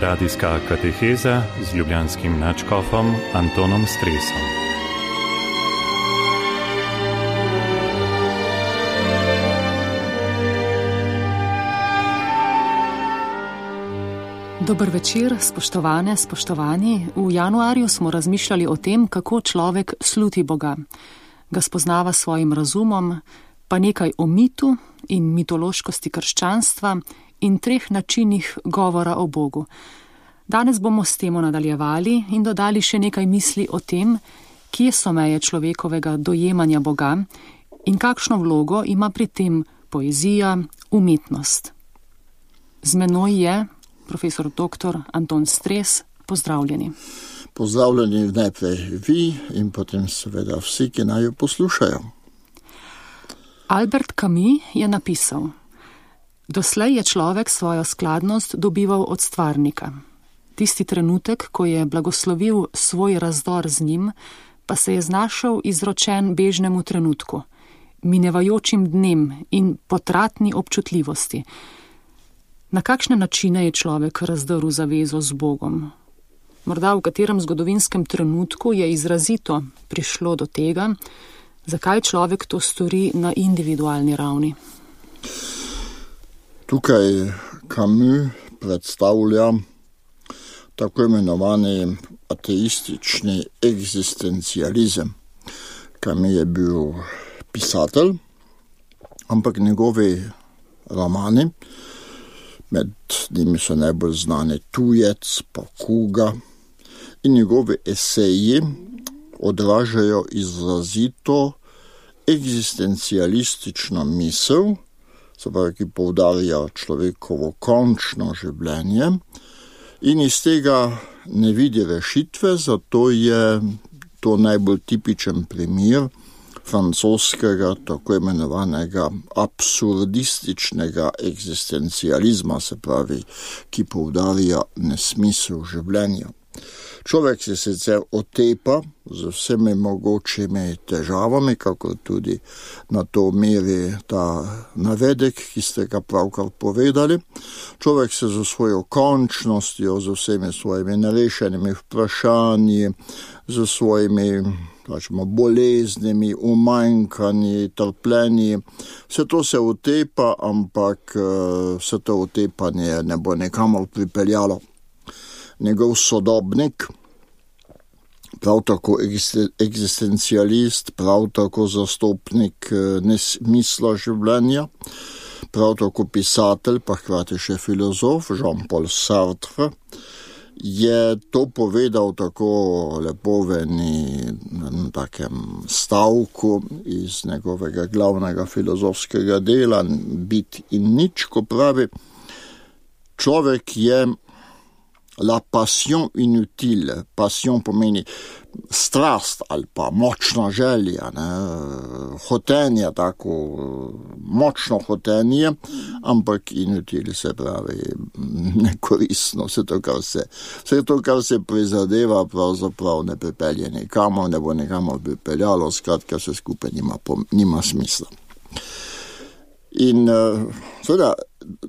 Radijska kateheza z ljubljanskim nadškofom Antonom Stresom. Dober večer, spoštovane, spoštovani. V januarju smo razmišljali o tem, kako človek sluti Boga. Ga spoznava s svojim razumom, pa nekaj o mitu in mitološkosti krščanstva in 3 načinih govora o Bogu. Danes bomo s temo nadaljevali in dodali še nekaj misli o tem, kje so meje človekovega dojemanja Boga in kakšno vlogo ima pri tem poezija, umetnost. Z menoj je profesor dr. Anton Stres. Pozdravljeni. Pozdravljeni najprej vi in potem seveda vsi, ki naj jo poslušajo. Albert Camus je napisal: doslej je človek svojo skladnost dobival od stvarnika. Tisti trenutek, ko je blagoslovil svoj razdor z njim, pa se je znašel izročen bežnemu trenutku, minevajočim dnem in potratni občutljivosti. Na kakšne načine je človek razdrl zavezo z Bogom? Morda v katerem zgodovinskem trenutku je izrazito prišlo do tega, zakaj človek to stori na individualni ravni? Tukaj Camus predstavlja tako imenovani ateistični eksistencializem. Camus je bil pisatelj, ampak njegovi romani, med njimi so najbolj znani Tujec, pa Kuga, in njegovi eseji odražajo izrazito eksistencialistično misel, ki poudarja človekovo končno življenje in iz tega ne vidi rešitve, zato je to najbolj tipičen primer francoskega tako imenovanega absurdističnega eksistencializma, se pravi, ki poudarja nesmisel življenja. Človek se sicer otepa z vsemi mogočimi težavami, kako tudi na to meri ta navedek, ki ste ga pravkar povedali. Človek se z svojo končnostjo, z vsemi svojimi nerešenimi vprašanji, z svojimi boleznimi, umanjkanji, trpljenji. Vse to se otepa, ampak vse to otepanje ne bo nikamor pripeljalo. Njegov sodobnik, prav tako eksistencialist, prav tako zastopnik nesmisla življenja, prav tako pisatelj, pa hkrati še filozof Jean-Paul Sartre, je to povedal tako lepo v takem stavku iz njegovega glavnega filozofskega dela Bit in nič, ko pravi: človek je la passion inutile. Passion pomeni strast ali pa močna želja, hotenje, tako močno hotenje, ampak inutile se pravi nekoristno. Vse to, kar se prizadeva, pravzaprav ne pripelje nikamor, ne bo nikamor pripeljalo, skratka vse skupaj nima smisla. In seveda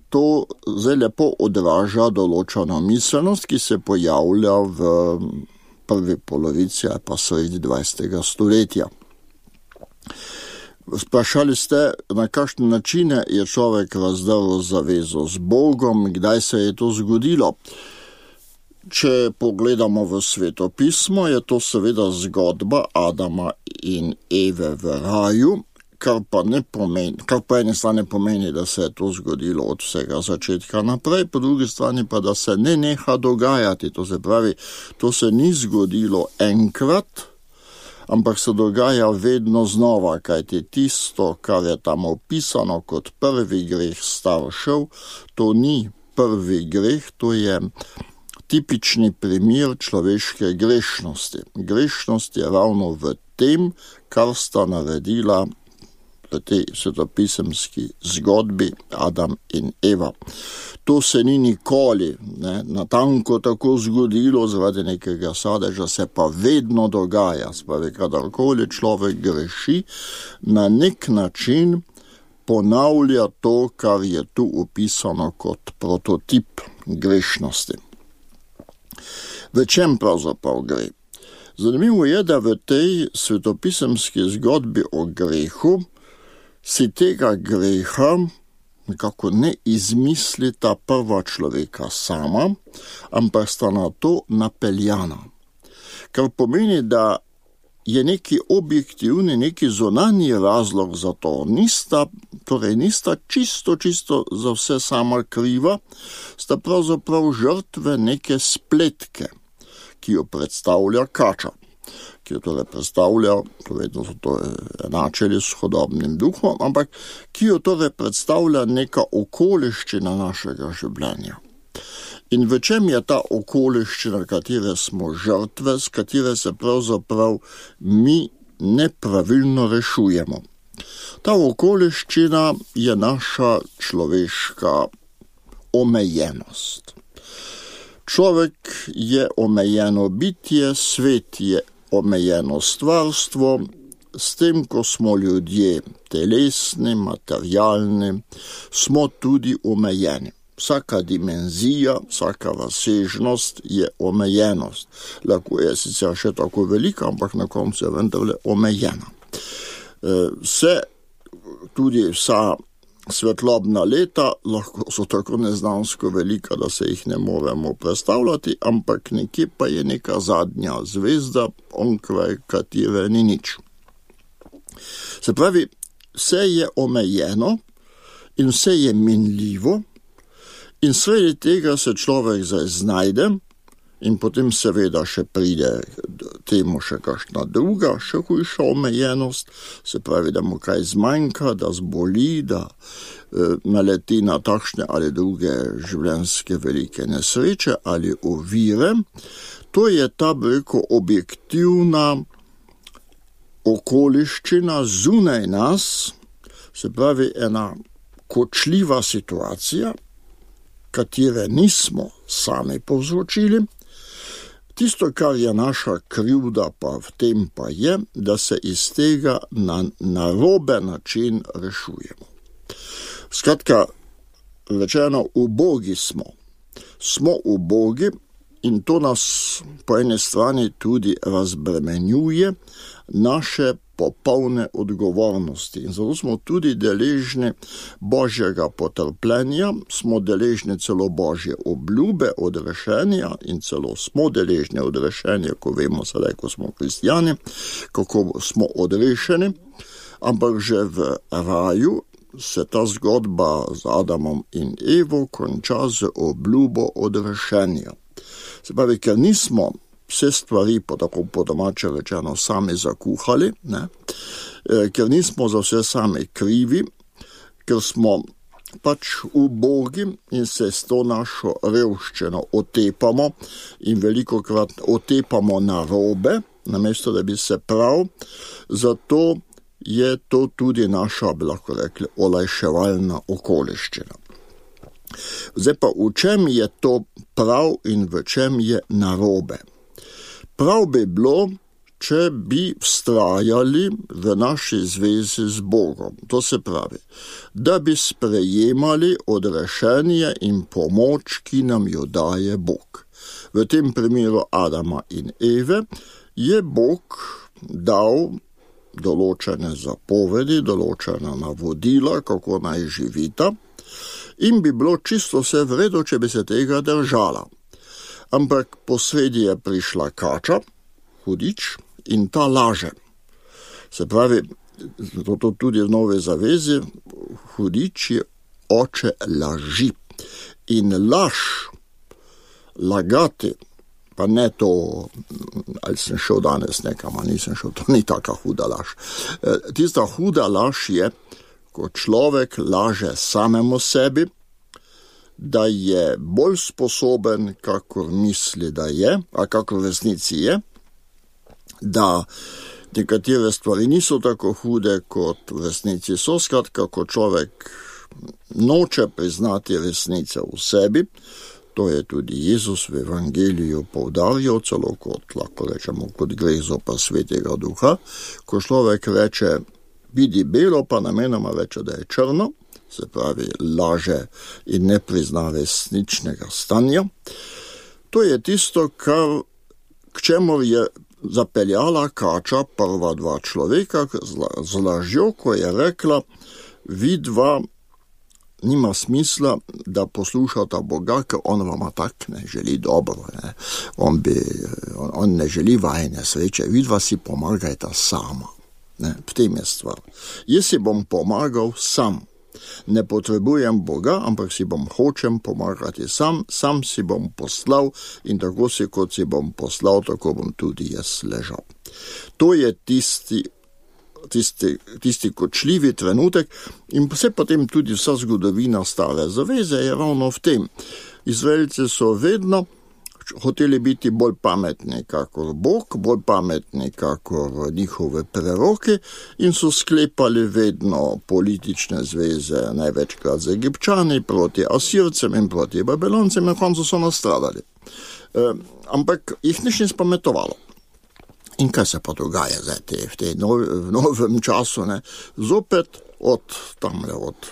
to zelo lepo odraža določeno miselnost, ki se pojavlja v prvi polovici ali pa sredi 20. stoletja. Sprašali ste, na kakšne načine je človek razdrl zavezo z Bogom, kdaj se je to zgodilo. Če pogledamo v svetopismo, je to seveda zgodba Adama in Eve v raju, kar pa ene strani pomeni, da se je to zgodilo od vsega začetka naprej, po drugi strani pa, da se ne neha dogajati. To se pravi, to se ni zgodilo enkrat, ampak se dogaja vedno znova, kajti tisto, kar je tam opisano kot prvi greh staršev, to ni prvi greh, to je tipični primer človeške grešnosti. Grešnost je ravno v tem, kar sta naredila v tej svetopisemski zgodbi Adam in Eva. To se ni nikoli natanko tako zgodilo zaradi nekega sadeža, se pa vedno dogaja. Spravi, kadarkoli človek greši, na nek način ponavlja to, kar je tu opisano kot prototip grešnosti. V čem pravzaprav gre? Zanimivo je, da v tej svetopisemski zgodbi o grehu si tega greha nekako ne izmisli ta prva človeka sama, ampak sta na to napeljana. Kar pomeni, da je neki objektivni, neki zunanji razlog za to. Nista čisto za vse sama kriva, sta pravzaprav žrtve neke spletke, ki jo predstavlja kača, ki jo torej predstavlja, vedno so to enačili s hudobnim duhom, ampak ki jo torej predstavlja neka okoliščina našega življenja. In v čem je ta okoliščina, katere smo žrtve, s katere se pravzaprav mi nepravilno rešujemo? Ta okoliščina je naša človeška omejenost. Človek je omejeno bitje, svet je omejeno stvarstvo, s tem, ko smo ljudje telesni, materialni, smo tudi omejeni. Vsaka dimenzija, vsaka razsežnost je omejenost. Lahko je sicer še tako velika, ampak na koncu je vendarle omejena. Tudi vsa svetlobna leta lahko so tako neznansko velika, da se jih ne moremo predstavljati, ampak nekje pa je neka zadnja zvezda, onkraj katere ni nič. Se pravi, vse je omejeno in vse je minljivo, in sredi tega se človek zdaj znajde in potem seveda še pride temu še kakšna druga, še hujša omejenost, se pravi, da mu kaj zmanjka, da zboli, da naleti na takšne ali druge življenjske velike nesreče ali ovire. To je ta objektivna okoliščina zunaj nas, se pravi ena kočljiva situacija, katere nismo sami povzročili. Tisto, kar je naša krivda pa v tem pa je, da se iz tega na narobe način rešujemo. Skratka, rečeno, ubogi smo. Smo ubogi in to nas po eni strani tudi razbremenjuje naše popolne odgovornosti. In zato smo tudi deležni Božjega potrpljenja, smo deležni celo Božje obljube odrešenja in celo smo deležni odrešenja, ko vemo sedaj, ko smo kristjani, kako smo odrešeni, ampak že v raju se ta zgodba z Adamom in Evo konča z obljubo odrešenja. Se pravi, ker nismo vse stvari, tako po domače rečeno, sami zakuhali, ker nismo za vse sami krivi, ker smo pač ubogi in se s to našo revščino otepamo in velikokrat otepamo narobe, namesto da bi se prav, zato je to tudi naša, bi lahko rekli, olajševalna okoliščina. Zdaj pa, v čem je to prav in v čem je narobe? Prav bi bilo, če bi vztrajali v naši zvezi z Bogom. To se pravi, da bi sprejemali odrešenje in pomoč, ki nam jo daje Bog. V tem primeru Adama in Eve je Bog dal določene zapovedi, določena navodila, kako naj živita, in bi bilo čisto vse v redu, če bi se tega držala. Ampak posredi je prišla kača, hudič, in ta laže. Se pravi, to tudi v Novi zavezi, hudič je oče laži. In lagati, pa ne to, ali sem šel danes nekam, ali nisem šel, to ni taka huda laž. Tista huda laž je, ko človek laže samemu sebi, da je bolj sposoben, kakor misli, da je, a kakor v resnici je, da nekatere stvari niso tako hude, kot v resnici so. Skratka, ko človek noče priznati resnice v sebi, to je tudi Jezus v evangeliju poudarjal, celo kot, lahko rečemo, kot greh zoper svetega duha, ko človek reče, vidi belo, pa namenoma reče, da je črno, se pravi, laže in ne prizna resničnega stanja. To je tisto, k čemu je zapeljala kača prva dva človeka z lažjo, ko je rekla, vidva nima smisla, da poslušata Boga, ker on vama tak ne želi dobro. Ne? On ne želi vajne sreče, vidva si pomagajta sama. Ne? V tem je stvar. Jaz si bom pomagal sam. Ne potrebujem Boga, ampak si hočem pomagati sam si bom poslal in tako si, kot si bom poslal, tako bom tudi jaz ležal. To je tisti kočljivi trenutek in vse potem tudi vsa zgodovina Stare zaveze je ravno v tem. Izraelci so vedno hoteli biti bolj pametni kakor Bog, bolj pametni kakor njihove preroke in so sklepali vedno politične zveze, največkrat z Egipčani proti Asircem in proti Babiloncem, na koncu so nastradali. Ampak jih nič ni spametovalo. In kaj se pa dogaja zdaj v novem času? Ne? Zopet od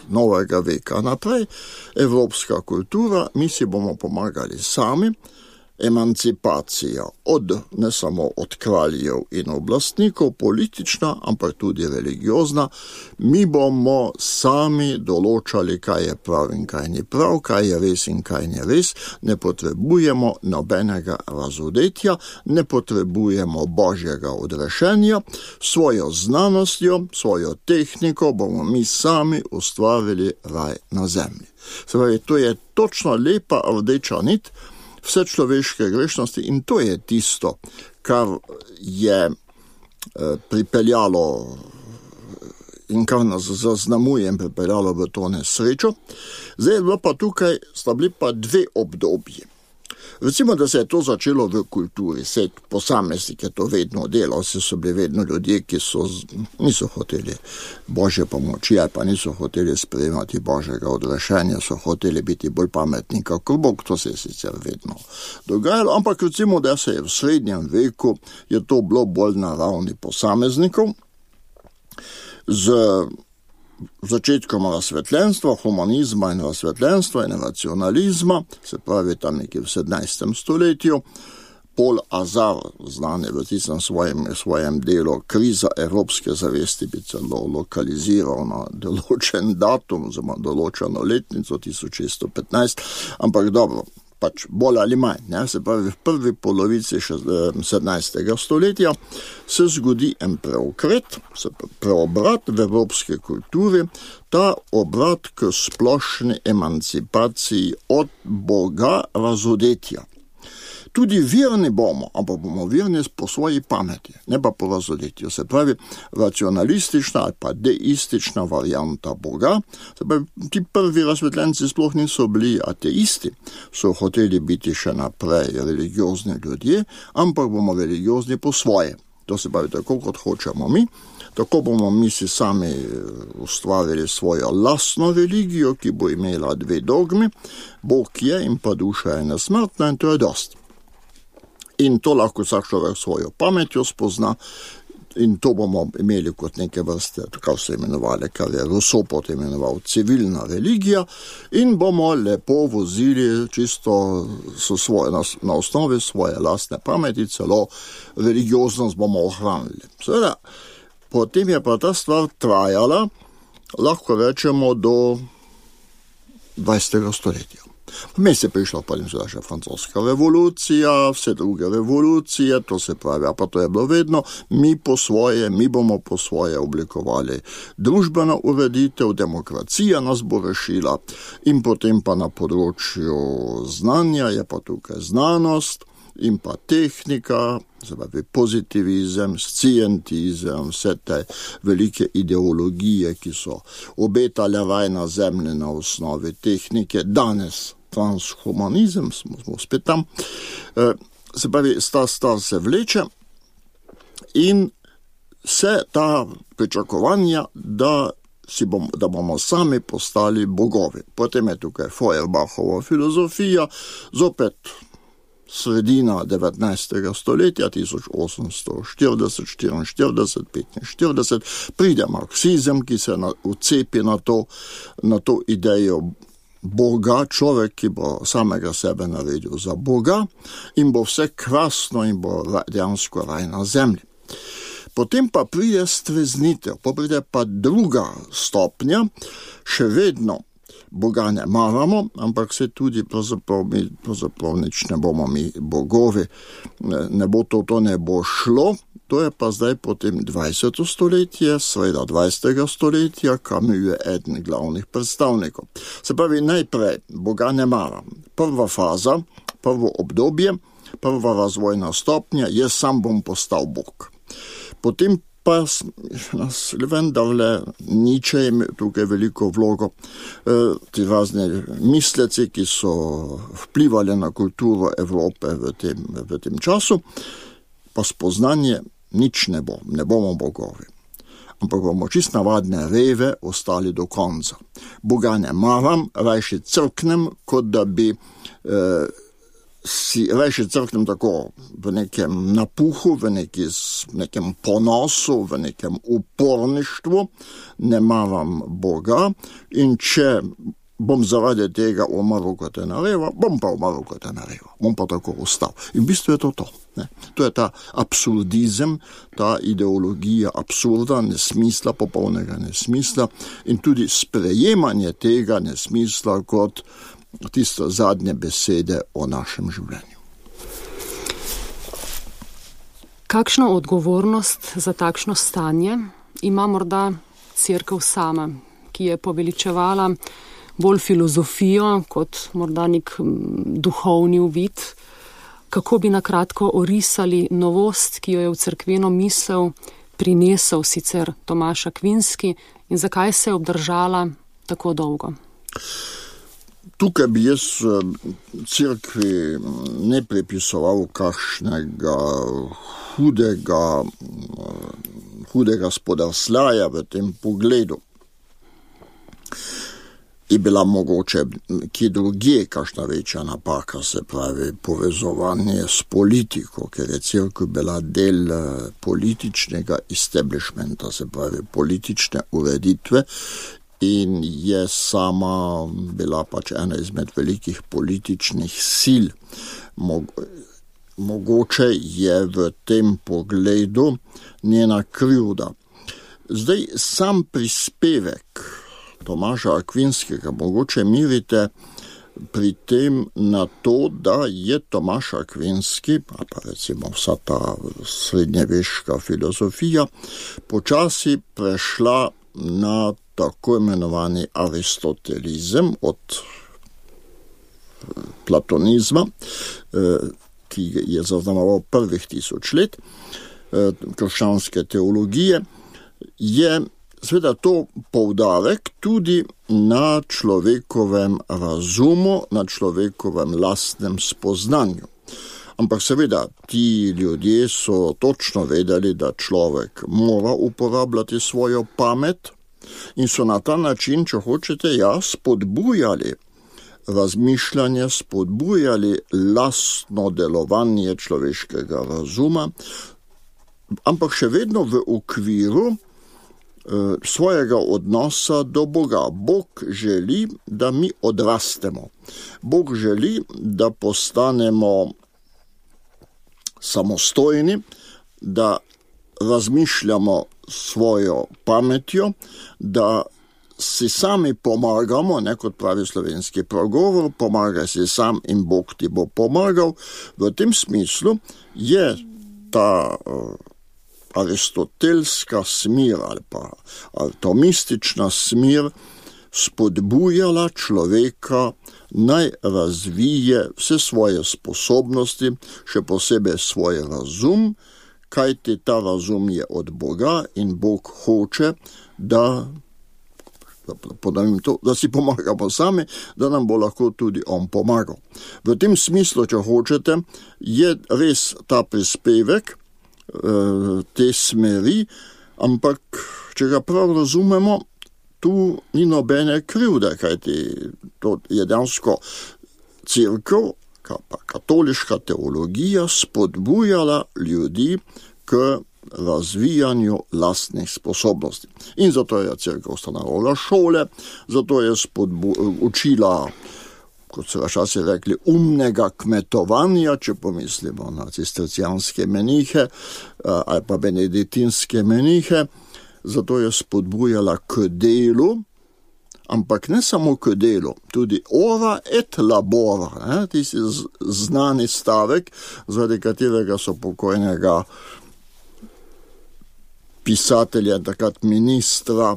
novega veka naprej, evropska kultura, mi si bomo pomagali sami, emancipacija ne samo od kraljev in oblastnikov, politična, ampak tudi religiozna. Mi bomo sami določali, kaj je prav in kaj ni prav, kaj je res in kaj ni res. Ne potrebujemo nobenega razodetja, ne potrebujemo božjega odrešenja. Svojo znanostjo, svojo tehniko bomo mi sami ustvarili raj na zemlji. Se pravi, to je točno lepa rdeča nit vse človeške grešnosti in to je tisto, kar je pripeljalo in kar nas zaznamuje in pripeljalo v to nesrečo. Zdaj je bilo pa tukaj, sta bili pa dve obdobji. Recimo, da se je to začelo v kulturi, se posameznik je to vedno delal, so bili vedno ljudje, ki niso hoteli božje pomoči, ali pa niso hoteli sprejemati božjega odrešenja, so hoteli biti bolj pametni kakor Bog, to se je sicer vedno dogajalo, ampak recimo, da se je v srednjem veku je to bilo bolj na ravni posameznikov, z začetkom razsvetljenstva, humanizma in razsvetljenstva in racionalizma, se pravi tam nekje v 17. stoletju, Paul Azar, znan je v tistem svojem delu Kriza evropske zavesti, bi celo lokaliziral na določen datum, oziroma določeno letnico 1615, ampak dobro, pač bolj ali manj, ne? Se pravi v prvi polovici 17. stoletja se zgodi en preokret, preobrat v evropske kulturi, ta obrat k splošni emancipaciji od Boga razodetja. Tudi verni bomo, ampak bomo verni po svoji pameti, ne pa po razodetju. Se pravi, racionalistična ali pa deistična varianta Boga. Se pravi, ti prvi razsvetljenci sploh niso bili ateisti, so hoteli biti še naprej religiozni ljudje, ampak bomo religiozni po svoje. To se pravi, tako kot hočemo mi, tako bomo mi si sami ustvarili svojo lastno religijo, ki bo imela dve dogmi, Bog je in pa duša je nesmrtna in to je dost. In to lahko vsak človek svojo pametjo spozna in to bomo imeli kot neke vrste, kar se imenovali, kar je Rousseau potem imenoval civilna religija in bomo lepo vozili čisto na osnovi svoje lastne pameti, celo religioznost bomo ohranili. Seveda, potem je pa ta stvar trajala, lahko rečemo, do 20. stoletja. Vmes je prišla pa še francoska revolucija, vse druge revolucije, to se pravi, pa to je bilo vedno, mi bomo po svoje oblikovali družbeno ureditev, demokracija nas bo rešila in potem pa na področju znanja je pa tukaj znanost in pa tehnika, se pravi pozitivizem, scientizem, vse te velike ideologije, ki so obetale raj na zemlji na osnovi tehnike, danes transhumanizem, smo spet tam, se pravi, star se vleče in vse ta pričakovanja, da bomo sami postali bogovi. Potem je tukaj Feuerbachova filozofija, zopet sredina 19. stoletja, 1840, 44, 45, pride marksizem, ki se vcepi na to idejo Boga, človek, ki bo samega sebe naredil za Boga in bo vse krasno in bo dejansko raj na zemlji. Potem pa pride streznitev, pa pride pa druga stopnja, še vedno Boga ne maramo, ampak se tudi pravzaprav nič ne bomo mi bogovi, ne bo to ne bo šlo. To je pa zdaj potem 20. stoletje, sreda 20. stoletja, Camus je eden glavnih predstavnikov. Se pravi, najprej Boga ne maram. Prva faza, prvo obdobje, prva razvojna stopnja, jaz sam bom postal Bog. Potem pa nas vendarle Nietzsche ima tukaj veliko vlogo, ti razne misleci, ki so vplivali na kulturo Evrope v tem času, pa spoznanje nič ne bomo bogovi. Ampak bomo čist navadne reve ostali do konca. Boga ne maram, rajši crknem, kot da bi si rajši crknem tako v nekem napuhu, v nekem ponosu, v nekem uporništvu, ne maram Boga in če bom zaradi tega umrl kot ena reva, bom pa umrl kot ena reva, bom pa tako ostal. In v bistvu je to. Ne? To je ta absurdizem, ta ideologija absurda, nesmisla, popolnega nesmisla in tudi sprejemanje tega nesmisla kot tisto zadnje besede o našem življenju. Kakšno odgovornost za takšno stanje ima morda Cerkev sama, ki je poveličevala bolj filozofijo kot morda nek duhovni uvid? Kako bi nakratko orisali novost, ki jo je v cerkveno misel prinesel sicer Tomaž Akvinski in zakaj se je obdržala tako dolgo? Tukaj bi jaz cerkvi ne pripisoval kakšnega hudega spodrsljaja v tem pogledu. Je bila mogoče kje drugje kakšna večja napaka, se pravi povezovanje s politiko, ker je cerkev bila del političnega establishmenta, se pravi politične ureditve, in je sama bila pač ena izmed velikih političnih sil. Mogoče je v tem pogledu njena krivda. Zdaj sam prispevek Tomaža Akvinskega mogoče mirite pri tem na to, da je Tomaž Akvinski, pa recimo vsa ta srednjeveška filozofija, počasi prešla na tako imenovani aristotelizem od platonizma, ki je zaznamoval prvih 1000 let krščanske teologije, je seveda to poudarek tudi na človekovem razumu, na človekovem lastnem spoznanju. Ampak seveda ti ljudje so točno vedeli, da človek mora uporabljati svojo pamet in so na ta način, če hočete, spodbujali razmišljanje, spodbujali lastno delovanje človeškega razuma, ampak še vedno v okviru svojega odnosa do Boga. Bog želi, da mi odrastemo. Bog želi, da postanemo samostojni, da razmišljamo svojo pametjo, da si sami pomagamo, ne kot pravi slovenski pregovor, pomagaj si sam in Bog ti bo pomagal. V tem smislu je ta aristotelska smer ali pa atomistična smer spodbujala človeka naj razvije vse svoje sposobnosti, še posebej svoj razum, kajti ta razum je od Boga in Bog hoče, da si pomagamo sami, da nam bo lahko tudi on pomagal. V tem smislu, če hočete, je res ta prispevek te smeri, ampak če ga prav razumemo, tu ni nobene krivde, kajti to je dejansko cerkev, pa katoliška teologija spodbujala ljudi k razvijanju lastnih sposobnosti. In zato je cerkev ustanovila šole, zato je učila, kot so včasih rekli, umnega kmetovanja, če pomislimo na cistercijanske menihe ali pa benediktinske menihe, zato je spodbujala k delu, ampak ne samo k delu, tudi ora et labora, tisti znani stavek, zaradi katerega so pokojnega pisatelja, takrat ministra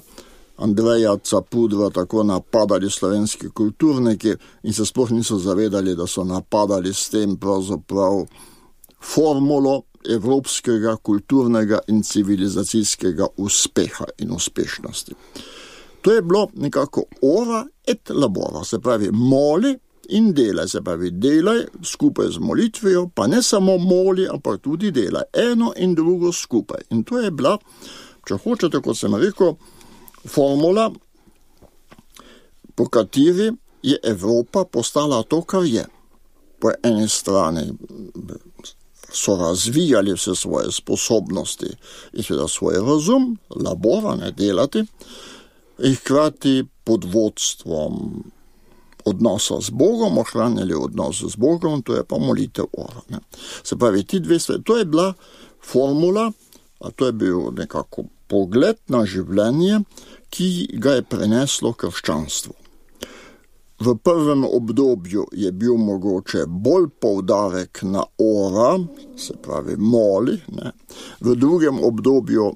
Andreja Capudra tako napadali slovenski kulturniki in se sploh niso zavedali, da so napadali s tem pravzaprav formulo evropskega kulturnega in civilizacijskega uspeha in uspešnosti. To je bilo nekako ora et labora, se pravi moli in delaj, se pravi delaj skupaj z molitvijo, pa ne samo moli, ampak tudi delaj, eno in drugo skupaj. In to je bila, če hočete, kot sem rekel, formula, po kateri je Evropa postala to, kar je. Po eni strani so razvijali vse svoje sposobnosti in seveda svoj razum, labora, ne delati, in hkrati pod vodstvom odnosa z Bogom, ohranjali odnos z Bogom, to je pa molitev ora. Ne. Se pravi, ti dve stvari, to je bila formula, a to je bil nekako pogled na življenje, ki ga je preneslo krščanstvo. V prvem obdobju je bil mogoče bolj poudarek na ora, se pravi moli, ne. V drugem obdobju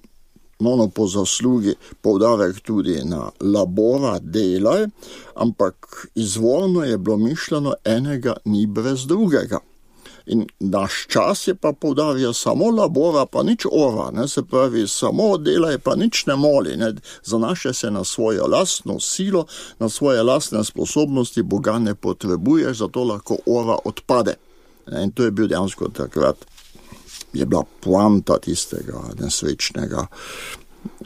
po zaslugi poudarek tudi na labora, delaj, ampak izvorno je bilo mišljeno, enega ni brez drugega. In naš čas je pa poudarja samo labora, pa nič ora, ne? Se pravi, samo delaj, pa nič ne moli, ne? Zanaša se na svojo lastno silo, na svoje lastne sposobnosti, Boga ne potrebuješ, zato lahko ora odpade. In to je bil dejansko takrat, je bila poanta tistega nesrečnega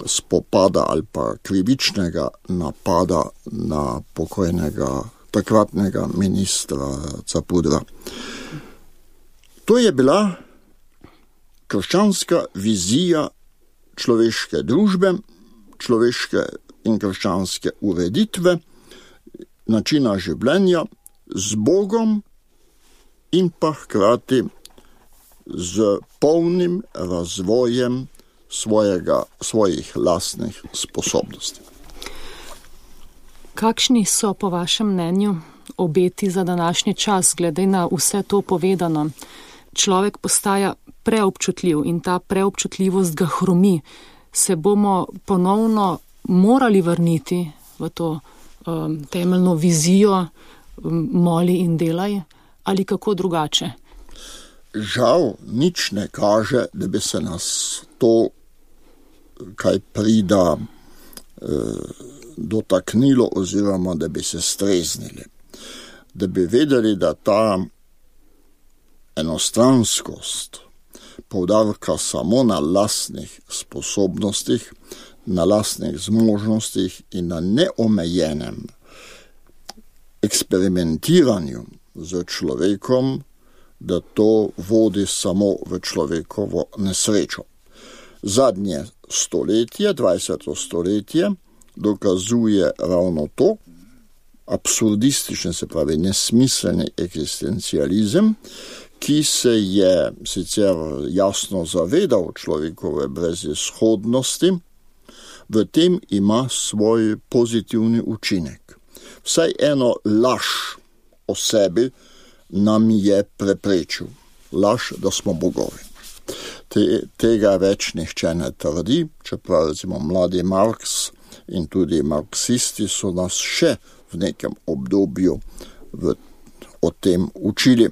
spopada ali pa krivičnega napada na pokojnega takratnega ministra Capudra. To je bila krščanska vizija človeške družbe, človeške in krščanske ureditve, načina življenja z Bogom in pa hkrati z polnim razvojem svojih lastnih sposobnosti. Kakšni so po vašem mnenju obeti za današnji čas, glede na vse to povedano? Človek postaja preobčutljiv in ta preobčutljivost ga hromi. Se bomo ponovno morali vrniti v to temeljno vizijo moli in delaj ali kako drugače? Žal, nič ne kaže, da bi se nas to, kaj prida, dotaknilo oziroma da bi se streznili. Da bi vedeli, da ta enostranskost, poudarka samo na lastnih sposobnostih, na lastnih zmožnostih in na neomejenem eksperimentiranju z človekom, da to vodi samo v človekovo nesrečo. Zadnje stoletje, 20. stoletje, dokazuje ravno to, absurdističen, se pravi nesmiselni eksistencializem, ki se je sicer jasno zavedal človekove brezizhodnosti, v tem ima svoj pozitivni učinek. Vsaj eno laž o sebi nam je preprečil. Laž, da smo bogovi. Tega več nihče ne trdi, čeprav recimo mladi Marx in tudi marksisti so nas še v nekem obdobju o tem učili,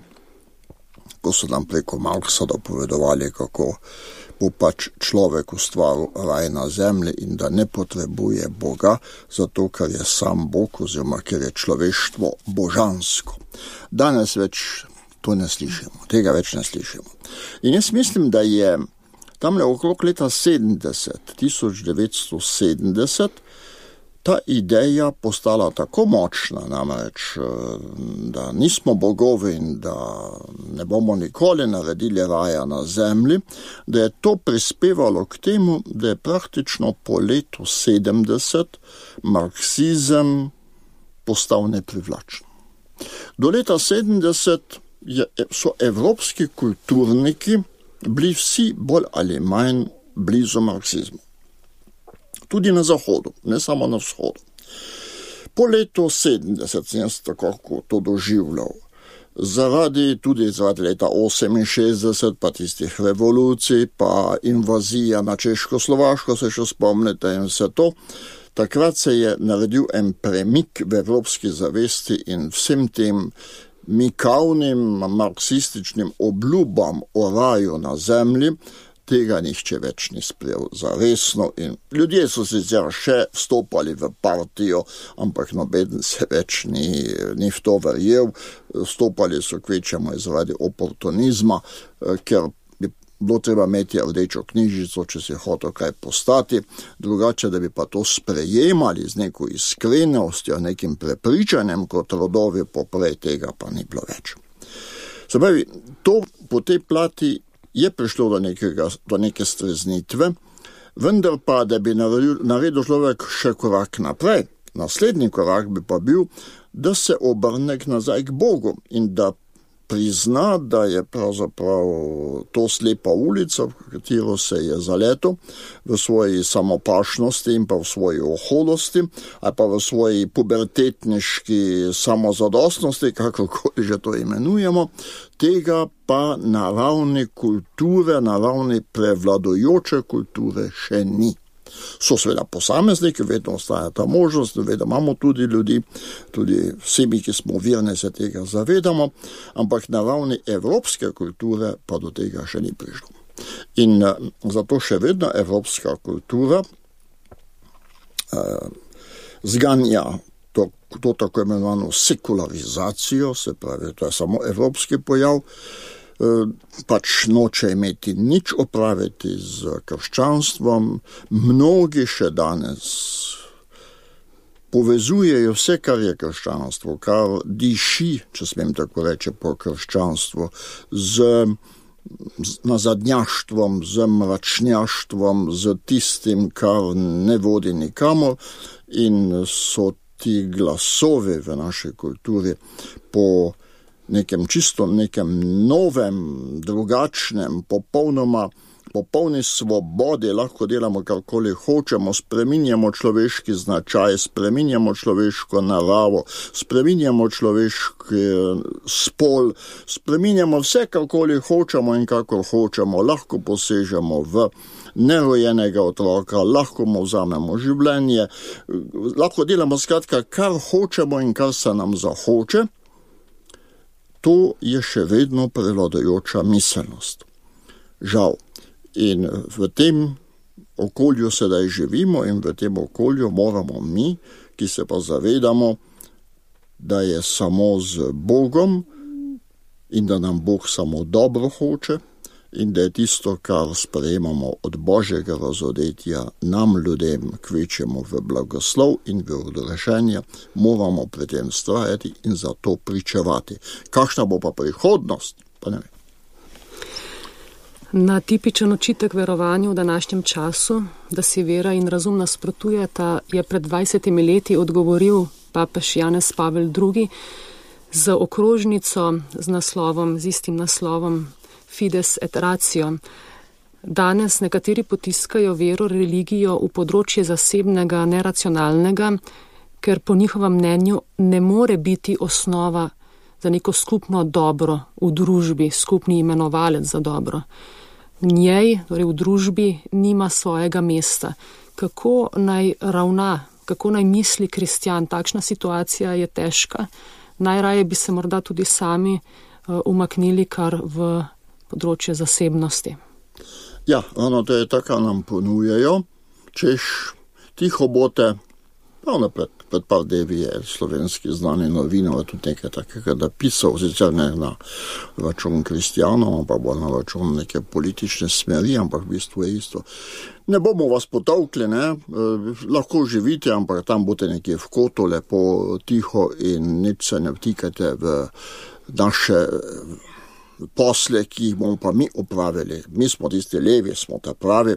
ko so nam preko Marxa dopovedovali, kako bo pač človek ustvaril raj na zemlji in da ne potrebuje Boga, zato ker je sam Bog oziroma ker je človeštvo božansko. Danes več to ne slišimo, tega več ne slišimo. In jaz mislim, da je tamle okrog leta 1970, ta ideja postala tako močna, namreč, da nismo bogovi in da ne bomo nikoli naredili raja na zemlji, da je to prispevalo k temu, da je praktično po letu 70 marksizem postal neprivlačen. Do leta 70 so evropski kulturniki bili vsi bolj ali manj blizu marksizmu. Tudi na zahodu, ne samo na vzhodu. Po letu 70 sem jaz tako to doživljal. Tudi zaradi leta 68, pa tistih revolucij, pa invazija na Češko-Slovaško, se še spomnite in vse to. Takrat se je naredil en premik v evropski zavesti in vsem tem mikavnim marksističnim obljubam o raju na zemlji, tega nihče več ni sprejel za resno in ljudje so sicer še vstopali v partijo, ampak nobeden se več ni v to verjel, vstopali so kvečemo zaradi oportunizma, ker bi bilo treba imeti rdečo knjižico, če si hotel kaj postati, drugače, da bi pa to sprejemali z neko iskrenostjo, nekim prepričanjem kot rodovi poprej, tega pa ni bilo več. Se pravi, to po tej plati je prišlo do neke streznitve, vendar pa, da bi naredil človek še korak naprej. Naslednji korak bi pa bil, da se obrne nazaj k Bogu in da prizna, da je pravzaprav to slepa ulica, v katero se je zaletel v svoji samopašnosti in pa v svoji oholosti, ali pa v svoji pubertetniški samozadostnosti, kakorkoli že to imenujemo, tega pa na ravni kulture, na ravni prevladujoče kulture še ni. So seveda posamezniki, vedno ostaja ta možnost, vedno imamo tudi ljudi, tudi vsi mi, ki smo verni, se tega zavedamo, ampak na ravni evropske kulture pa do tega še ni prišlo. In zato še vedno evropska kultura zganja to tako imenovano sekularizacijo, se pravi, to je samo evropski pojav, pač noče imeti nič opraviti z krščanstvom. Mnogi še danes povezujejo vse, kar je krščanstvo, kar diši, če smem tako reči, po krščanstvu, z nazadnjaštvom, z mračnjaštvom, z tistim, kar ne vodi nikamor, in so ti glasovi v naši kulturi po nekem novem, drugačnem, popolni svobodi, lahko delamo karkoli hočemo, spreminjamo človeški značaj, spreminjamo človeško naravo, spreminjamo človeški spol, spreminjamo vse, karkoli hočemo in kakor hočemo, lahko posežemo v nerojenega otroka, lahko mu vzamemo življenje, lahko delamo skratka, kar hočemo in kar se nam zahoče. To je še vedno prevladujoča miselnost. Žal. In v tem okolju sedaj živimo in v tem okolju moramo mi, ki se pa zavedamo, da je samo z Bogom in da nam Bog samo dobro hoče in da je tisto, kar sprejemamo od Božjega razodetja nam ljudem kvečemo v blagoslov in v odrešenje, moramo pri tem vztrajati in za to pričevati. Kakšna bo pa prihodnost? Pa ne vem. Na tipičen očitek verovanju v današnjem času, da si vera in razum nasprotujeta, je pred 20 leti odgovoril papež Janez Pavel II z okrožnico z istim naslovom Fides et Ratio. Danes nekateri potiskajo vero, religijo v področje zasebnega, neracionalnega, ker po njihovem mnenju ne more biti osnova za neko skupno dobro v družbi, skupni imenovalec za dobro. V njej, torej v družbi, nima svojega mesta. Kako naj ravna, kako naj misli kristjan? Takšna situacija je težka. Najraje bi se morda tudi sami umaknili kar v področje zasebnosti. Ja, to je tako, nam ponujajo, češ tiho bote, Pravno pred par dnevi je slovenski znani novinar tudi nekaj takega napisal, sicer ne na račun kristjanov, ampak bo na račun neke politične smeri, ampak v bistvu je isto. Ne bomo vas potolkli, ne, lahko živite, ampak tam boste nekje v kotu, lepo tiho in nič se ne vtikajte v naše posle, ki jih bomo pa mi opravili. Mi smo tisti levi, smo ta pravi,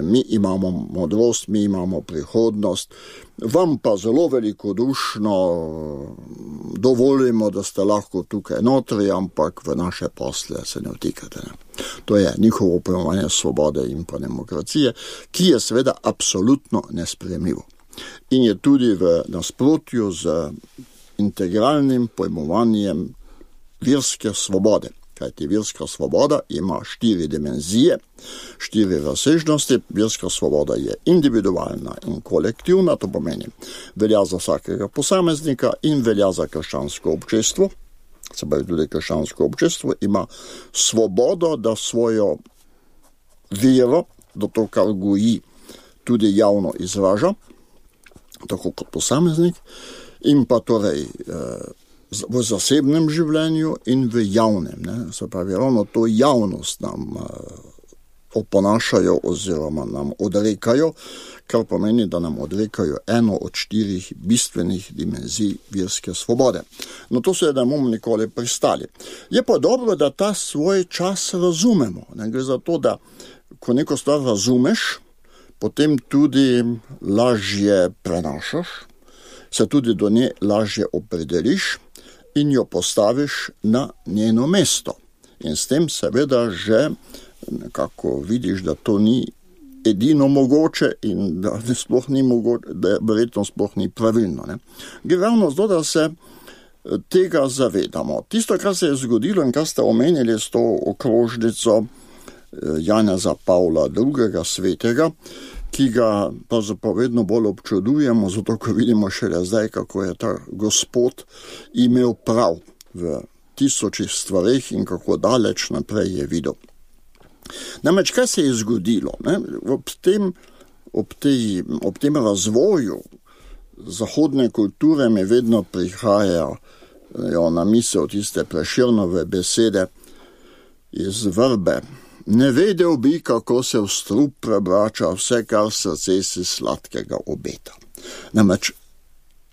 mi imamo modrost, mi imamo prihodnost. Vam pa zelo velikodušno dovolimo, da ste lahko tukaj notri, ampak v naše posle se ne vtikate. Ne. To je njihovo pojmovanje svobode in pa demokracije, ki je seveda absolutno nesprejemljivo. In je tudi v nasprotju z integralnim pojmovanjem verske svobode. Kajti verska svoboda ima 4 dimenzije, 4 razsežnosti. Verska svoboda je individualna in kolektivna, to pomeni velja za vsakega posameznika in velja za krščansko občestvo. Se pravi, tudi krščansko občestvo ima svobodo, da svojo vero, da to, kar goji, tudi javno izraža, tako kot posameznik, in pa torej v zasebnem življenju in v javnem. Ne? Se pravi, ravno to javnost nam oponašajo oziroma nam odrekajo, kar pomeni, da nam odrekajo eno od 4 bistvenih dimenzij verske svobode. No to se ne bomo nikoli pristali. Je pa dobro, da ta svoj čas razumemo. Ne? Gre za to, da ko neko stvar razumeš, potem tudi lažje prenašaš, se tudi do nje lažje opredeliš in jo postaviš na njeno mesto. In s tem seveda že nekako vidiš, da to ni edino mogoče in da sploh ni mogoče, da verjetno sploh ni pravilno. Ne. Gre ravno zato, da se tega zavedamo. Tisto, kar se je zgodilo in kar ste omenili s to okrožnico Janeza Pavla II. Svetega, ki ga pa zapovedno bolj občudujemo, zato ko vidimo šele zdaj, kako je ta gospod imel prav v 1000 stvareh in kako daleč naprej je videl. Namreč, kaj se je zgodilo? Ne? Ob tem razvoju zahodne kulture mi vedno prihajajo na misel tiste Prešernove besede iz Vrbe. Ne vedel bi, kako se v strup prebrača vse, kar srce si sladkega obeta. Namreč,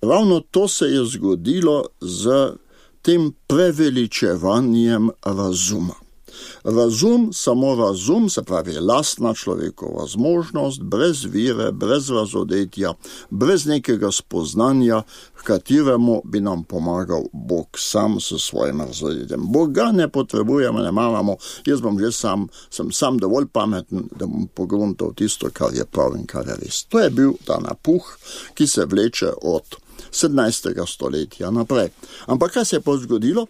ravno to se je zgodilo z tem preveličevanjem razuma. Razum, samo razum, se pravi lastna človekova zmožnost, brez vire, brez razodetja, brez nekega spoznanja, v kateremu bi nam pomagal Bog sam s svojim razodetjem. Boga ne potrebujemo, ne maramo, jaz sem sam dovolj pameten, da bom pogruntal tisto, kar je prav in kar je res. To je bil ta napuh, ki se vleče od 17. stoletja naprej. Ampak kaj se je pa zgodilo?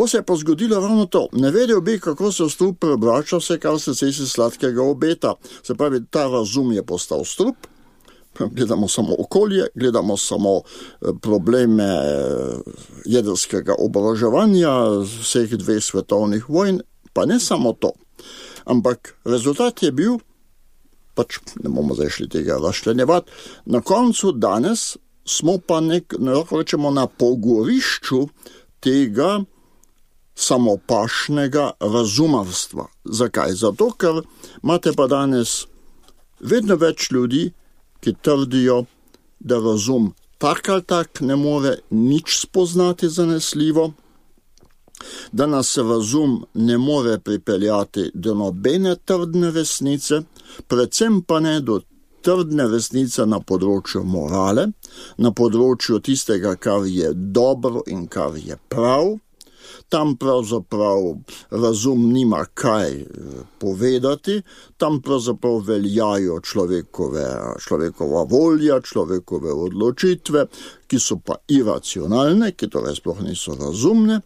Se je pa zgodilo ravno to. Ne vedel bi, kako se strup prebrača vse, kar se si sladkega obeta. Se pravi, ta razum je postal strup. Gledamo samo okolje, gledamo samo probleme jedrskega oboroževanja vseh 2 svetovnih vojn, pa ne samo to. Ampak rezultat je bil, pač ne bomo zdaj šli tega razčlenjevati, na koncu danes smo pa lahko rečemo na pogorišču tega samopašnega razumavstva. Zakaj? Zato, ker imate pa danes vedno več ljudi, ki trdijo, da razum tak ali tak ne more nič spoznati zanesljivo, da nas razum ne more pripeljati do nobene trdne resnice, predvsem pa ne do trdne resnice na področju morale, na področju tistega, kar je dobro in kar je prav. Tam pravzaprav razum nima kaj povedati, tam pravzaprav veljajo človekova volja, človekove odločitve, ki so pa iracionalne, ki torej sploh niso razumne.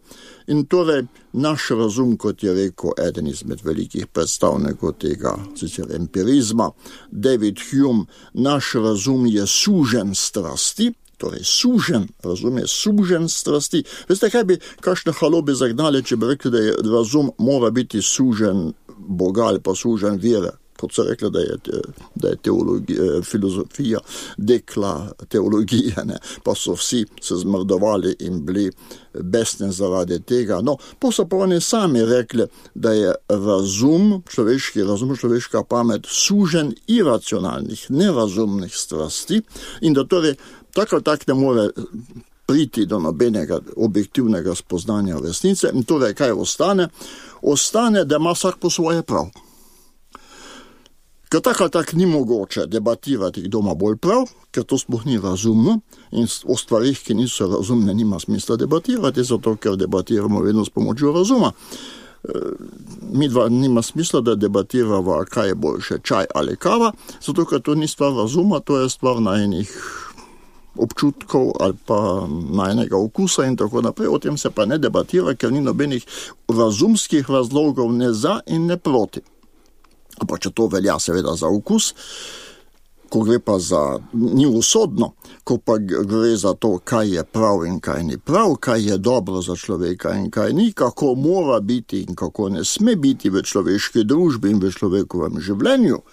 In torej naš razum, kot je rekel eden izmed velikih predstavnikov tega sicer empirizma, David Hume, naš razum je sužen strasti, torej sužen, razum je sužen strasti. Veste, kaj bi kakšne halobe zagnali, če bi rekli, da razum mora biti sužen Boga ali pa sužen vere? kot se rekla, da je filozofija dekla teologije, ne? Pa so vsi se zmrdovali in bili besni zaradi tega. No, pa so pa oni sami rekli, da je človeški razum, človeška pamet sužen iracionalnih, nerazumnih strasti in da torej tako ne more priti do nobenega objektivnega spoznanja resnice. In torej, kaj ostane? Ostane, da ima vsak po svoje prav. Ker tako ni mogoče debatirati, kdo ima bolj prav, ker to sploh ni razumno in o stvarih, ki niso razumne, nima smisla debatirati, zato ker debatiramo vedno s pomočjo razuma. Mi dva nima smisla, da debatiramo, kaj je boljše, čaj ali kava, zato ker to ni stvar razuma, to je stvar najinih občutkov ali pa najnega okusa in tako naprej. O tem se pa ne debatira, ker ni nobenih razumskih razlogov ne za in ne proti. Pa če to velja seveda za okus, ko gre pa ni usodno, ko pa gre za to, kaj je prav in kaj ni prav, kaj je dobro za človeka in kaj ni, kako mora biti in kako ne sme biti v človeški družbi in v človekovem življenju,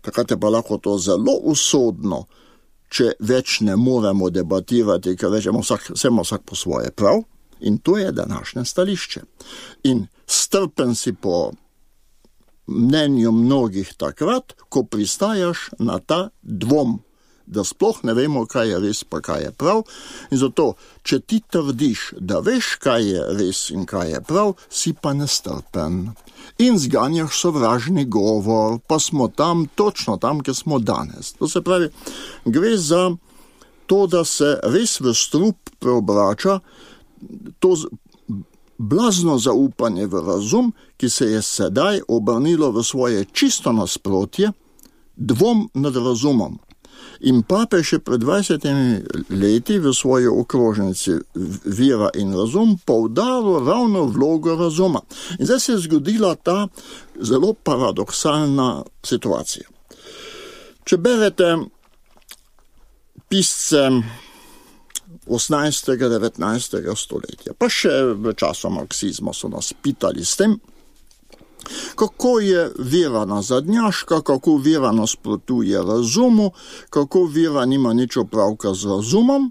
takrat je pa lahko to zelo usodno, če več ne moremo debatirati, ker rečemo, vsak po svoje prav, in to je današnje stališče. In strpen si po mnenju mnogih takrat, ko pristajaš na ta dvom, da sploh ne vemo, kaj je res pa kaj je prav. In zato, če ti trdiš, da veš, kaj je res in kaj je prav, si pa nestrpen. In zganjaš sovražni govor, pa smo točno tam, kjer smo danes. To se pravi, gre za to, da se res v strup preobrača to blazno zaupanje v razum, ki se je sedaj obrnilo v svoje čisto nasprotje, dvom nad razumom. In papež je pred 20 leti v svoji okrožnici Vera in razum poudaril ravno vlogo razuma. In zdaj se je zgodila ta zelo paradoksalna situacija. Če berete pisce 18. 19. stoletja, pa še v času marksizma so nas pitali s tem, kako je vera nazadnjaška, kako vera nasprotuje razumu, kako vera nima nič opravka z razumom.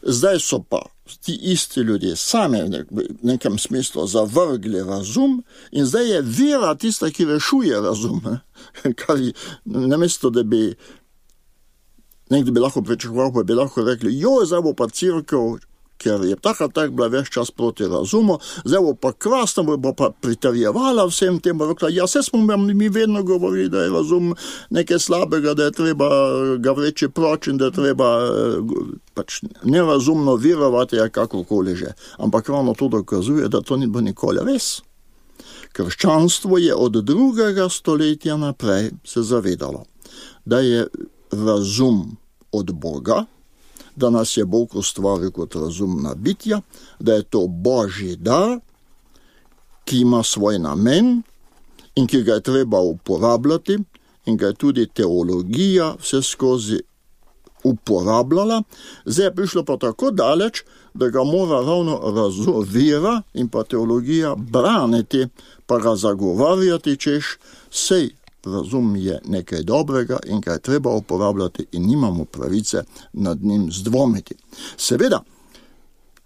Zdaj so pa ti isti ljudje sami v nekem smislu zavrgli razum in zdaj je vera tista, ki rešuje razum. Kar namesto, da bi nekdo bi lahko pričakoval, pa bi lahko rekli, zdaj bo pa cerkev, ker je tako bila ves čas proti razumu, zdaj bo pa krasno, bo pa pritrjevala vsem tem, bo rekla, vse smo mi vedno govorili, da je razum nekaj slabega, da je treba ga vreči proč in da je treba pač nerazumno verovati, kakokoli že. Ampak ravno to dokazuje, da to ni bilo nikoli res. Krščanstvo je od 2. stoletja naprej se zavedalo, da je razum od Boga, da nas je Bog ustvaril kot razumna bitja, da je to Božji dar, ki ima svoj namen in ki ga je treba uporabljati in ga je tudi teologija vse skozi uporabljala. Zdaj je prišlo pa tako daleč, da ga mora ravno vera in pa teologija braniti, pa ga zagovarjati, češ sej razum je nekaj dobrega in ga je treba uporabljati in nimamo pravice nad njim zdvomiti. Seveda,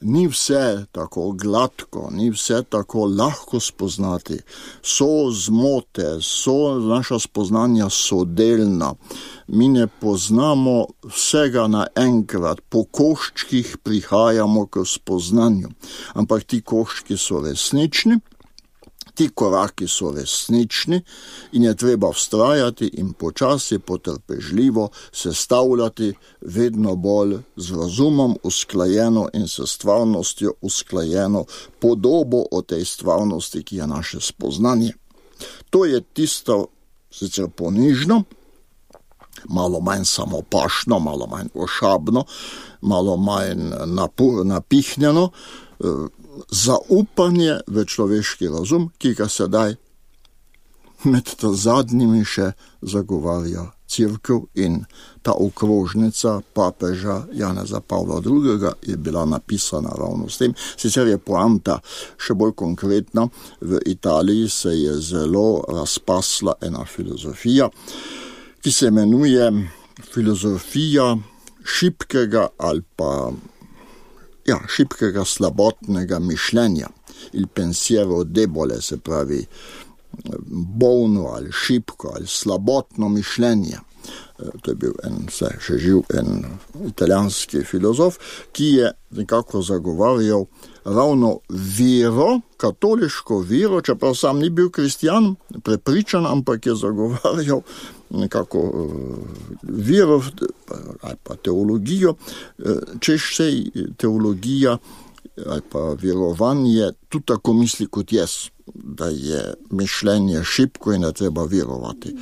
ni vse tako gladko, ni vse tako lahko spoznati. So zmote, naša spoznanja so delna. Mi ne poznamo vsega naenkrat, po koščkih prihajamo k spoznanju. Ampak ti koščki so resnični, ti koraki so resnični in je treba vztrajati in počasi, potrpežljivo sestavljati vedno bolj z razumom usklajeno in s stvarnostjo usklajeno podobo o tej stvarnosti, ki je naše spoznanje. To je tisto sicer ponižno, malo manj samopašno, malo manj ošabno, malo manj napihnjeno, zaupanje v človeški razum, ki ga sedaj med zadnjimi še zagovarja Cerkev in ta okrožnica papeža Janeza Pavla II. Je bila napisana ravno s tem. Sicer je poanta še bolj konkretna. V Italiji se je zelo razpasla ena filozofija, ki se imenuje filozofija šibkega ali pa šibkega slabotnega mišljenja. Il pensiero debole, se pravi bolno ali šibko ali slabotno mišljenje. To je bil še živ en italijanski filozof, ki je nekako zagovarjal ravno vero, katoliško vero, čeprav sam ni bil kristjan, prepričan, ampak je zagovarjal nekako vero ali pa teologijo, češ sej teologija ali pa verovanje tudi tako misli kot jaz, da je mišljenje šibko in da treba verovati.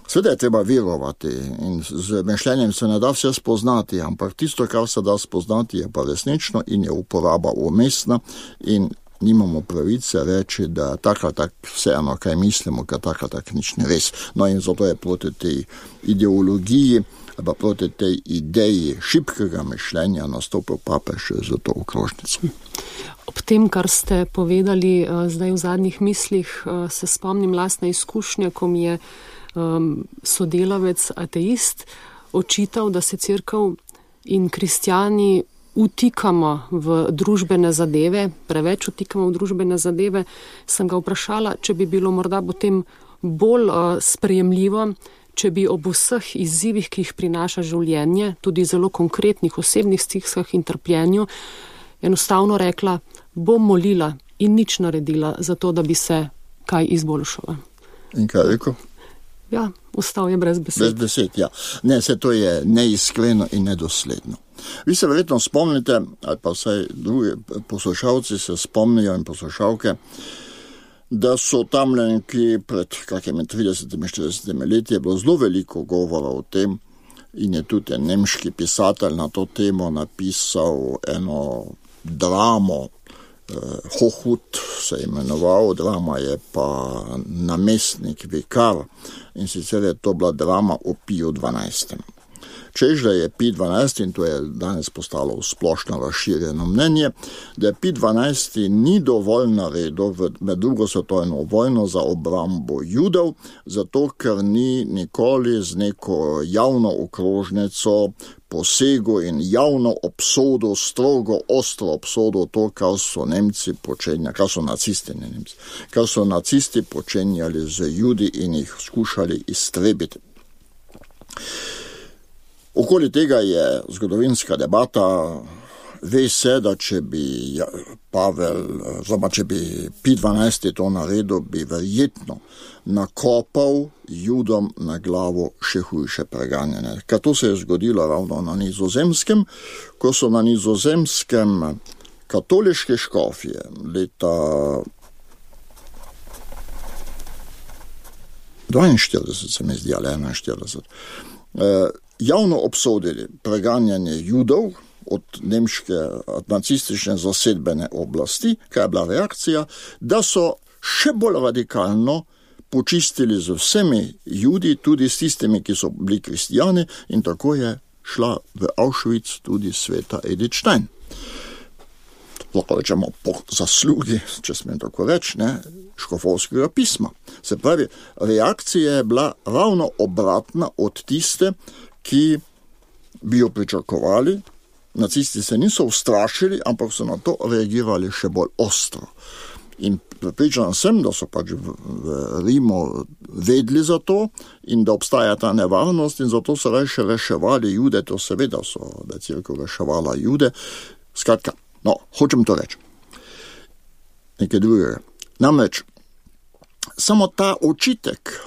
Seveda je treba verovati in z mišljenjem se ne da vse spoznati, ampak tisto, kar se da spoznati, je pa resnično in je uporaba umestna in nimamo pravice reči, da tako vseeno, kaj mislimo, ker tako nič ne res. No in zato je proti tej ideologiji, pa proti tej ideji šibkega mišljenja nastopil papež za to okrožnico. Ob tem, kar ste povedali zdaj v zadnjih mislih, se spomnim lastne izkušnje, ko mi je sodelavec ateist očital, da se cerkev in kristjani utikamo v družbene zadeve, preveč utikamo v družbene zadeve. Sem ga vprašala, če bi bilo morda potem bolj sprejemljivo, če bi ob vseh izzivih, ki jih prinaša življenje, tudi zelo konkretnih osebnih stiskah in trpljenju, enostavno rekla, bom molila in nič naredila za to, da bi se kaj izboljšala. In kaj rekel? Ja, ostal je brez besed. Brez besed, ja. Ne, to je neiskreno in nedosledno. Vi se verjetno spomnite, ali pa vsaj drugi poslušalci se spomnijo in poslušalke, da so tamle nekje pred kakimi 30-40 leti je bilo zelo veliko govora o tem in je tudi en nemški pisatelj na to temo napisal eno dramo, Hohut se je imenoval, drama je pa Namestnik vikar in sicer je to bila drama o Piju 12. Čež, da je Pij 12, in to je danes postalo splošno razširjeno mnenje, da Pij 12 ni dovolj naredil med drugo svetovno vojno za obrambo Judov, zato ker ni nikoli z neko javno okrožnico posegel in javno obsodil, strogo, ostro obsodil to, kar so Nemci počenjali, kar so nacisti, ne Nemci, kar so nacisti počenjali z Judi in jih skušali iztrebiti. Okoli tega je zgodovinska debata. Ve se, da če bi če bi Pij 12 to naredil, bi verjetno nakopal Judom na glavo še hujše preganjanje. Ker to se je zgodilo ravno na Nizozemskem, ko so na Nizozemskem katoliške škofje leta 42, se mi zdi, ali 41, javno obsodili preganjanje Judov od nemške nacistične zasedbene oblasti, kaj je bila reakcija, da so še bolj radikalno počistili z vsemi Judi, tudi s tistimi, ki so bili kristijani, in tako je šla v Auschwitz tudi sveta Edith Stein. Lahko rečemo po zaslugi, če smem tako reči, škofovskega pisma. Se pravi, reakcija je bila ravno obratna od tiste, ki bi jo pričakovali. Nacisti se niso ustrašili, ampak so na to reagirali še bolj ostro. In pripričan sem, da so pač v Rimu vedeli za to in da obstaja ta nevarnost in zato so reševali Jude, to seveda da je cerkev reševala Jude. Skratka, hočem to reči. Nekaj drugega. Namreč, samo ta očitek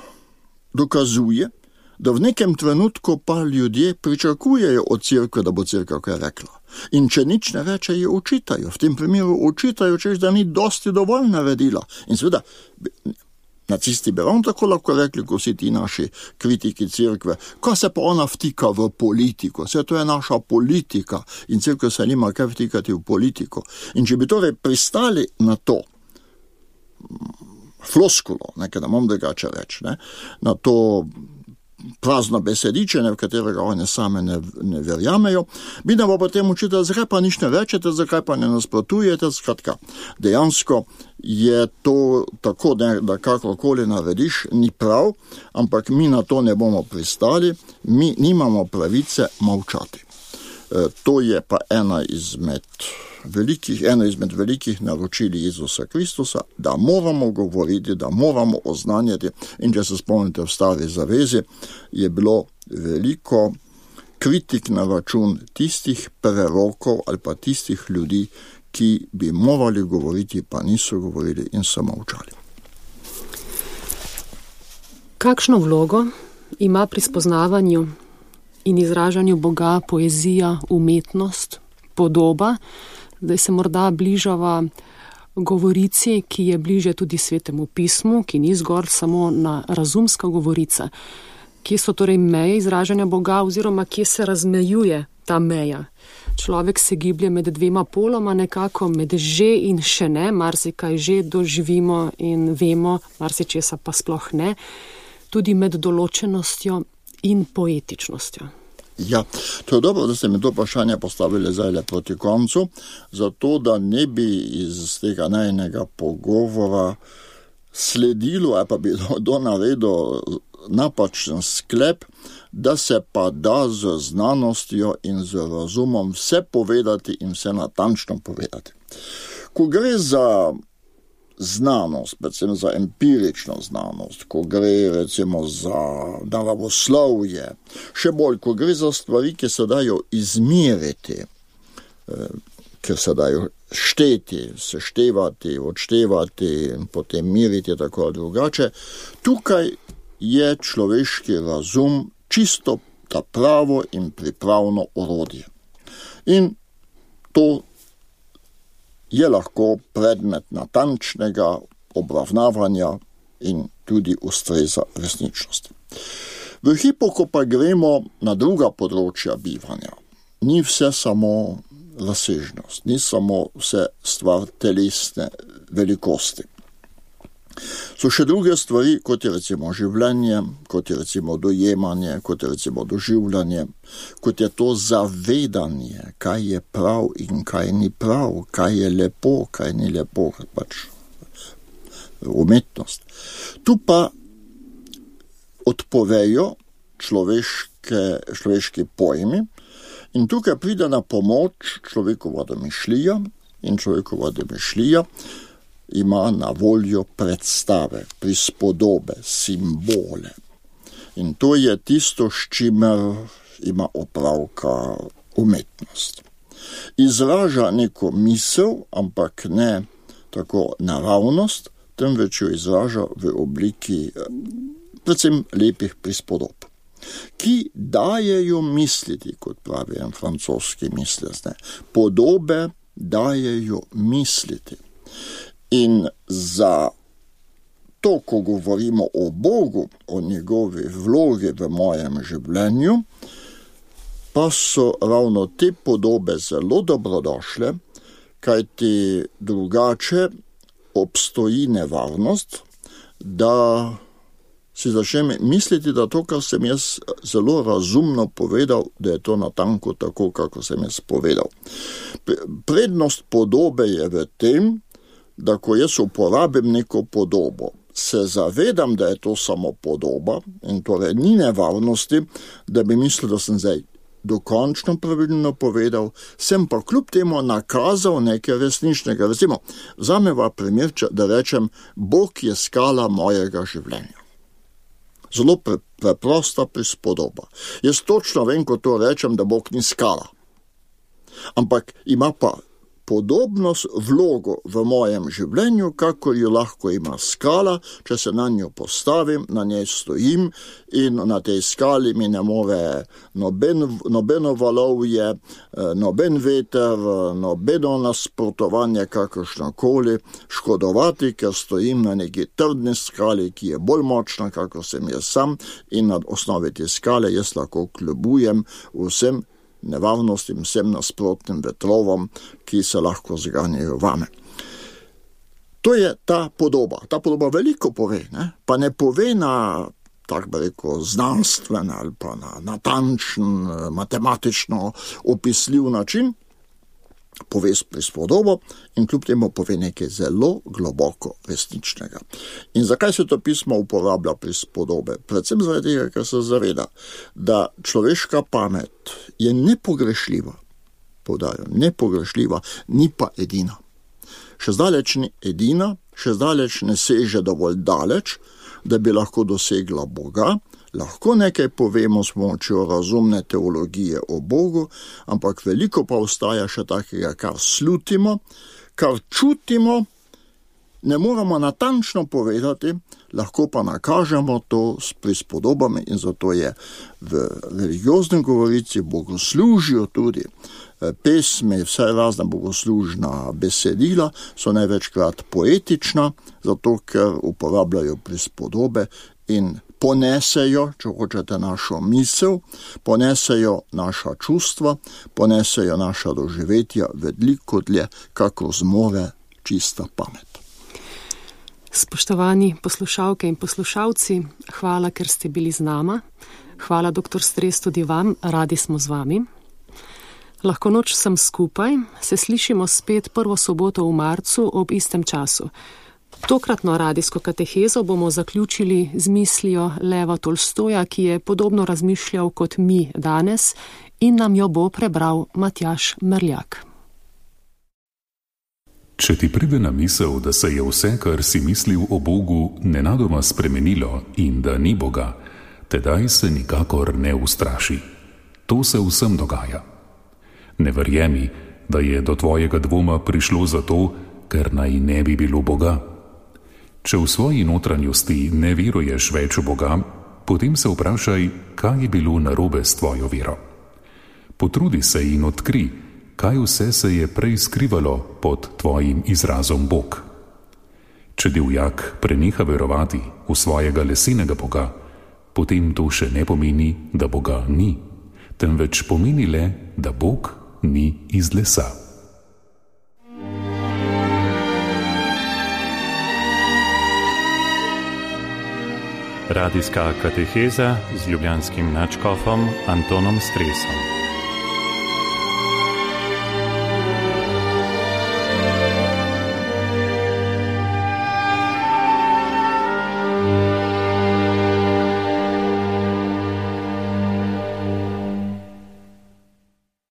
dokazuje, da v nekem trenutku pa ljudje pričakujejo od cerkve, da bo cerkev kaj rekla. In če nič ne reče, je očitajo. V tem primeru očitajo, češ, da ni dosti dovolj naredila. In seveda, nacisti bi ravno tako lahko rekli, ko si ti naši kritiki cerkve, ko se pa ona vtika v politiko, vse to je naša politika in cerkev se nima kaj vtikati v politiko. In če bi torej pristali na to floskulo, nekaj da imam drugače reči, na to prazno besedičenje, v katerega oni same ne verjamejo. Vidno pa potem učite, zakaj pa nič ne rečete, zakaj pa ne nasprotujete, skratka. Dejansko je to tako, da kakorkoli narediš, ni prav, ampak mi na to ne bomo pristali, mi nimamo pravice molčati. To je pa eno izmed velikih naročil Jezusa Kristusa, da moramo govoriti, da moramo oznanjati. In če se spomnite v Stari zavezi, je bilo veliko kritik na račun tistih prerokov ali pa tistih ljudi, ki bi morali govoriti, pa niso govorili in so molčali. Kakšno vlogo ima pri spoznavanju in izražanju Boga poezija, umetnost, podoba? Zdaj se morda bližava govorici, ki je bliže tudi Svetemu pismu, ki ni zgolj samo na razumska govorica. Kje so torej meje izražanja Boga oziroma kje se razmejuje ta meja? Človek se giblje med dvema poloma nekako, med že in še ne, marsikaj že doživimo in vemo, marsičesa pa sploh ne, tudi med določenostjo in poetičnostjo. Ja, to je dobro, da ste mi to vprašanje postavili zdaj proti koncu, zato da ne bi iz tega najnega pogovora sledilo, ali pa bi naredil napačen sklep, da se pa da z znanostjo in z razumom vse povedati in vse natančno povedati. Ko gre za znanost, predvsem za empirično znanost, ko gre recimo za naravoslovje, še bolj, ko gre za stvari, ki se dajo izmeriti, ki se dajo šteti, seštevati, odštevati in potem meriti tako ali drugače, tukaj je človeški razum čisto ta pravo in pripravno orodje. In to je lahko predmet natančnega obravnavanja in tudi ustreza resničnosti. V hipu, ko pa gremo na druga področja bivanja, ni vse samo razsežnost, ni samo vse stvar telesne velikosti. So še druge stvari, kot je recimo življenje, kot je recimo dojemanje, kot je recimo doživljanje, kot je to zavedanje, kaj je prav in kaj ni prav, kaj je lepo, kaj ni lepo, pač umetnost. Tu pa odpovejo človeški pojmi in tukaj pride na pomoč človekova domišljija in človekova domišljija ima na voljo predstave, prispodobe, simbole. In to je tisto, s čimer ima opravka umetnost. Izraža neko misel, ampak ne tako naravnost, temveč jo izraža v obliki predvsem lepih prispodob, ki dajejo misliti, kot pravi en francoski mislec, podobe dajejo misliti. In za to, ko govorimo o Bogu, o njegovi vlogi v mojem življenju, pa so ravno te podobe zelo dobrodošle, kajti drugače obstoji nevarnost, da si začnem misliti, da to, kar sem jaz zelo razumno povedal, da je to natanko tako, kako sem jaz povedal. Prednost podobe je v tem, da ko jaz uporabim neko podobo, se zavedam, da je to samo podoba in torej ni nevarnosti, da bi mislil, da sem zdaj dokončno pravilno povedal, sem pa kljub temu nakazal nekaj resničnega. Recimo, vzameva primer, da rečem, Bog je skala mojega življenja. Zelo preprosta prispodoba. Jaz točno vem, ko to rečem, da Bog ni skala. Ampak ima pa podobnost vlogo v mojem življenju, kakor jo lahko ima skala, če se na njo postavim, na njej stojim in na tej skali mi ne more nobeno valovje, noben veter, nobeno nasprotovanje kakršnokoli škodovati, ker stojim na neki trdni skali, ki je bolj močna, kakor sem jaz sam, in na osnovi te skale jaz lahko kljubujem vsem nevarnostim, vsem nasprotnim vetrovom, ki se lahko zganjajo vame. To je ta podoba. Ta podoba veliko pove, ne? Pa ne pove na tako bi rekel, znanstven ali pa na natančen, matematično opisljiv način, pove prispodobo in kljub temu pove nekaj zelo globoko resničnega. In zakaj Svetopismo uporablja prispodobe? Predvsem zaradi tega, ker se zaveda, da človeška pamet je nepogrešljiva, poudarjam, nepogrešljiva, ni pa edina. Še zdaleč ni edina, še zdaleč ne seže dovolj daleč, da bi lahko dosegla Boga. Lahko nekaj povemo s pomočjo razumne teologije o Bogu, ampak veliko pa ostaja še takega, kar slutimo, kar čutimo, ne moramo natančno povedati, lahko pa nakažemo to s prispodobami in zato je v religioznem govorici bogoslužju tudi pesmi, vse razna bogoslužna besedila so največkrat poetična, zato ker uporabljajo prispodobe in ponesejo, če hočete, našo misel, ponesejo naša čustva, ponesejo naša doživetja veliko dlje, kako zmore čista pamet. Spoštovani poslušalke in poslušalci, hvala, ker ste bili z nama. Hvala, dr. Stres, tudi vam, radi smo z vami. Lahko noč sem skupaj, se slišimo spet prvo soboto v marcu ob istem času. Tokratno radijsko katehezo bomo zaključili z mislijo Leva Tolstoja, ki je podobno razmišljal kot mi danes in nam jo bo prebral Matjaž Merljak. Če ti pride na misel, da se je vse, kar si mislil o Bogu, nenadoma spremenilo in da ni Boga, tedaj se nikakor ne ustraši. To se vsem dogaja. Ne verjemi, da je do tvojega dvoma prišlo zato, ker naj ne bi bilo Boga. Če v svoji notranjosti ne veruješ več v Boga, potem se vprašaj, kaj je bilo narobe s tvojo vero. Potrudi se in odkri, kaj vse se je prej skrivalo pod tvojim izrazom Bog. Če divjak preneha verovati v svojega lesenega Boga, potem to še ne pomeni, da Boga ni, temveč pomeni le, da Bog ni iz lesa. Radijska kateheza z ljubljanskim nadškofom Antonom Stresom.